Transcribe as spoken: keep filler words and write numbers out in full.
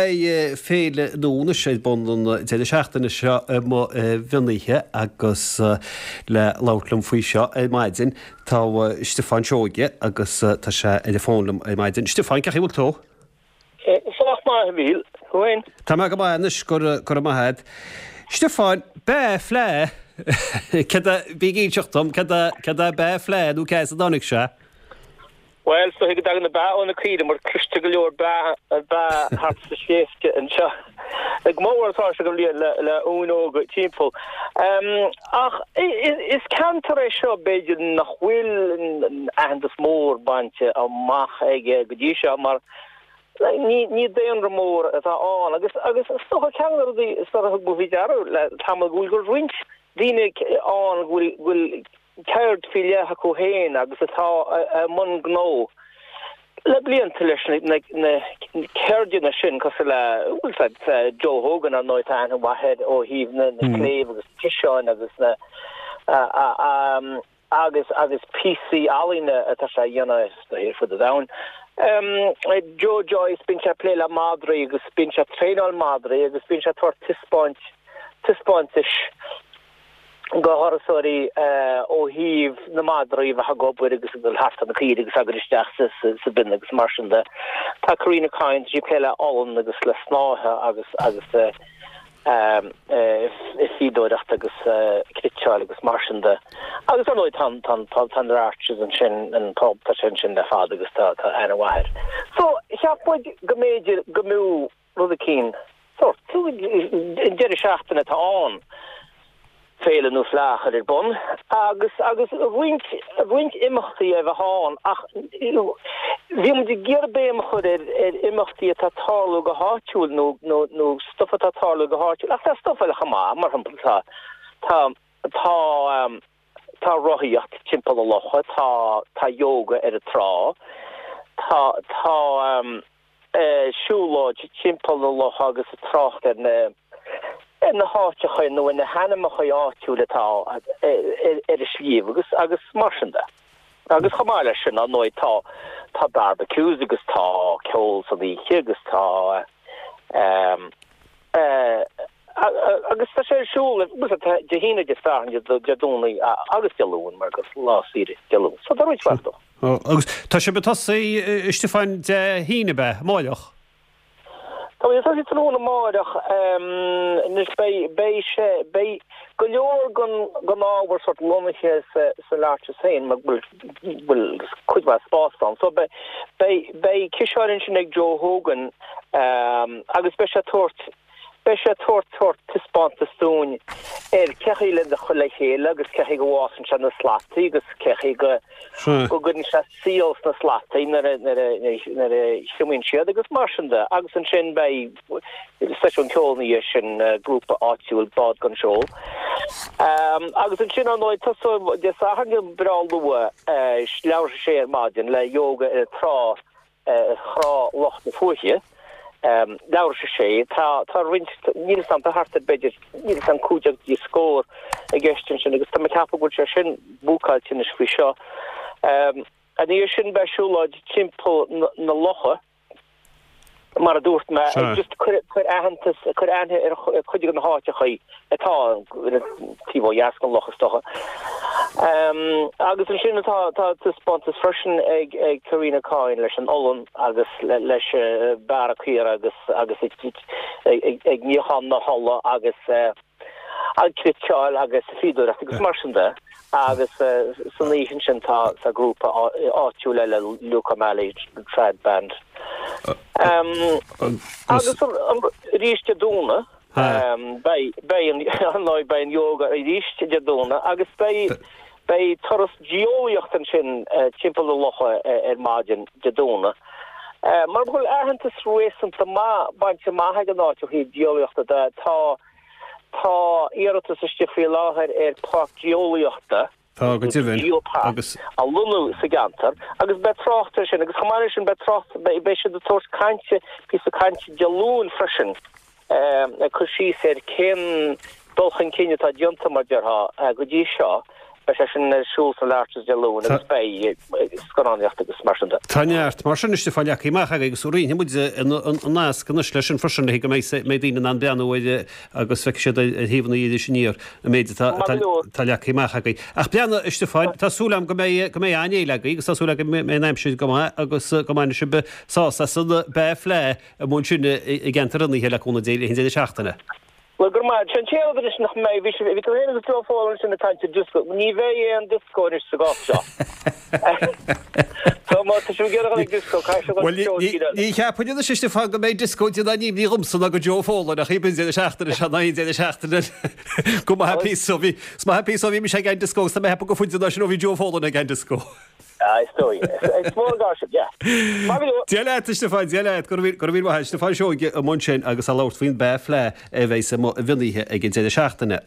Beidh féile nua anois ar bun an deireadh seachtaine seo i Maigh Bhionnaithe agus le labhairt liom faoi seo ar maidin tá Stiofán Seoige agus tá sé ar an bhfón liom ar maidin. Stiofán, cén chaoi a bhfuil tú? Sách maith, a Mhíchíl. Thú féin? Tá mé go maith anois, go raibh maith agat. Stiofán, Baa Fleadh, céard é, bí ag inseacht dom, céard é, céard é Baa Fleadh nó cá as a dtáinig sé? Bhuel, is dóigh go dtagann na ba ó na caoire mar cloistear go leor baa baa thart sa sléibhte anseo. Go mór atá sé go bhliain le le uain óga timpeall. Ach is ceantar é seo b'fhéidir nach bhfuil aitheantas mór bainte amach aige go dtí seo mar ní ní daonra mór atá ann agus agus is dócha ceann de na rudaí is dócha a thug mé faoi deara le tamall go bhfuil go bhfuil roinnt daoine ann go bhfuil go bhfuil ceird faoi leith acu féin agus atá i mbun gnó le blianta leis na ceirdeanna sin, cosúil le, bhfuil 's a'd, Joe Hogan ar ndóigh, tá aithne mhaith air ó thaobh na cléibh agus ciseáin agus na agus agus píosaí ealaíne atá sé a dhéanamh ar fud an domhain. Joe Joyce, bíonn sé ag plé le madraí agus bíonn sé ag traenáil madraí agus bíonn sé ag tabhairt taispeáint taispeántais go thurasóirí ó thaobh na madraí a bheith ag obair agus ag dul thart ar na caoirigh agus ag dul isteach sa bhinn agus mar sin de. Tá Karina Kyne, tá sí ag plé le olann agus le snáithe agus agus fíodóireacht agus cniotáil agus mar sin de. Agus ar ndóigh tá tá tá tá an Arches ansin, an pub, tá sé ansin le fada agus tá tá aithne mhaith air. So cheap muid go mb'fhéidir go mb'fhiú rud eicínt sórt, an deireadh seachtaine atá ann, féile nó fleá a chur ar bun agus agus roinnt roinnt imeachtaí a bheith ann ach bhí muid ag iarraidh béim a chur ar ar imeachtaí atá ag tarlú go háitiúil nó nó nó stuff atá ag tarlú go háitiúil ach tá stuff eile chomh maith, mar shampla tá tá tá tá rothaíocht timpeall na locha, tá tá yoga ar an trá, tá tá siúlóid timpeall na locha agus ag trácht ar na ar na háiteacha nó ar na hainmneacha áitiúil atá ar an sliabh agus agus mar sin de. Agus chomh maith leis sin, ar ndóigh, tá tá barbecues agus tá ceol san oíche agus tá agus tá sé ar siúl Dé hAoine, Dé Sathairn, Dé Domhnaigh agus Dé Luain mar gur lá saoire Dé Luain. So tá roinnt mhaith dó. Agus tá sibh ag tosaí, a Stiofáin, Dé hAoine, ab ea, amáireach? Tá muid ag tosaí tráthnóna amáireach. Anois beidh, beidh sé, beidh go leor den, den ábhar sórt lonnaithe sa, san Arches féin mar go bhfuil, bhfuil cuid mhaith spás ann. So beidh, beidh, beidh ciseáin ansin ag Joe Hogan agus beidh sé ag tabhairt, Beidh sé ag tabhairt sórt taispeántas dúinn ar cé chaoi le chur le chéile agus cé chaoi go bhfásann sé na slataí agus cé chaoi go go gcuireann sé síol sna slataí nuair a nuair a nuair a thriomaíonn siad agus mar sin de. Agus ansin beidh seisiún ceoil ina dhiaidh sin, grúpa áitiúil Bád Gan Seol. Agus ansin ar ndóigh tosóidh Dé Sathairn breá luath, leathuair tar éis a sé ar maidin le yoga ar an trá ar thrá Loch na Fuaiche, leathuair tar éis a sé. Tá, tá roinnt, níl 'fhios a'm, tá thart ar b'fhéidir, níl 'fhios a'm, cúig déag go dtí scór i gceist ansin agus tá mé ag ceapadh go bhfuil sé sin búcáilte anois faoi seo. Ina dhiaidh sin beidh siúlóid timpeall na locha, mar a dúirt mé, just cur, cur aitheantas, cur aithne ar chuid de na háiteachaí atá taobh ó dheas den loch is dócha. Agus ansin tá tá taispeántas freisin ag ag Karina Coyne leis an olann agus leis bearradh caora agus agus ag ag níochán na hola agus ag cniotáil agus fíodóireacht agus mar sin de. Agus san oíche ansin tá tá grúpa áitiúil eile, Luke O'Malley Trad Band. Agus arís Dé Domhnaigh, Beidh, beidh an, ar ndóigh, beidh an yoga arís Dé Domhnaigh agus beidh, beidh turas geolaíochta ansin timpeall na locha ar maidin Dé Domhnaigh. Mar go bhfuil aitheantas réasúnta maith bainte amach ag an áit ó thaobh geolaíochta de, tá, tá iarratas istigh faoi láthair ar pháirc geolaíochta. Tá, go deimhin. Geopark Agus. a lonnú sa gceantar agus beidh trácht air sin agus chomh maith leis sin beidh trácht, beidh siad ag tabhairt cainte, píosa cainte Dé Luain freisin ag cur síos ar cén dul chun cinn atá déanta mar déarfá go dtí seo Beidh sé sin ar siúl san Arches Dé Luain agus beidh scannánaíocht agus mar sin de. Tá neart mar sin a Stiofáin leagtha amach agaibh agus roinnfidh muid an nasc anois leis sin freisin le go mbeidh daoine in ann breathnú air agus feicfidh siad ar thaobh na Iris Aniar an méid atá leagtha amach agaibh. Ach breathnaigh, a Stiofáin, tá súil agam go mbeidh go mbeidh an-fhéile agaibh agus tá súil agam go mbeidh an aimsir go maith agus go mbainfidh sibh sásamh as an Baa Fleadh amuigh ansin i gceantar Fhionnaithe le cúnamh Dé le haghaidh an deireadh seachtaine. Bhuel, go raibh maith. Sin an t-aon rud anois nach mbeidh. Bhí sé, bhí tú féin agus Joe Folan ansin ag caint ar dioscó. Ní bheidh aon dioscó anois sa gcás seo. So má tá sibh ag iarraidh dul ag dioscó, caithfidh sibh dul Bhuel, seó ní, tíre eile. ní cheapfainn anois a Stiofáin go mbeidh dioscó ag déanamh nimhní dhomsa ná go Joe Folan ach b'in deireadh seachtaine seo ná aon deireadh seachtaine eile. Go maith píosa ó bhí, is maith píosa ó bhí mise ag an dioscó agus tá mé ag ceapadh gur faide ná sin ó bhí Joe Folan ag an dioscó. Ah, is dóigh. Is mór an gar sin, yeah. Maith go leor. Dia leat, a Stiofáin, Dia leat, go raibh míle maith agat. Stiofán Seoige amuigh ansin agus ag labhairt faoin Baa Fleadh a bheidh sa mhionoíche ag an deireadh seachtaine.